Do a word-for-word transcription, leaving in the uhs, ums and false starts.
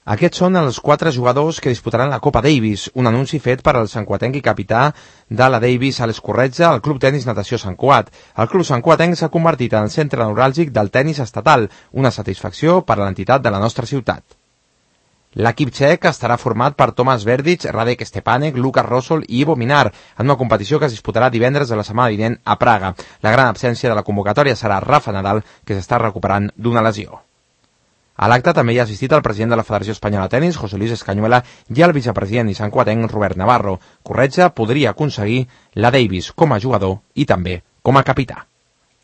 Aquests són els quatre jugadors que disputaran la Copa Davis, un anunci fet per al santcuatenc i capità de la Davis a l'Escorretja al Club Tenis Natació Sant Cuat. El Club santcuatenc s'ha convertit en el centre neuràlgic del tenis estatal, una satisfacció per a l'entitat de la nostra ciutat. L'equip txec estarà format per Tomas Verdic, Radek Stepanek, Lukas Rosol i Ivo Minar, en una competició que es disputarà divendres de la setmana vinent a Praga. La gran absència de la convocatòria serà Rafa Nadal, que s'està recuperant d'una lesió. A l'acte també hi ha assistit el president de la Federació Espanyola de Tenis, José Luis Escañuela, i el vicepresident i santcuatenc, Robert Navarro. Corretja podria aconseguir la Davis com a jugador i també com a capità.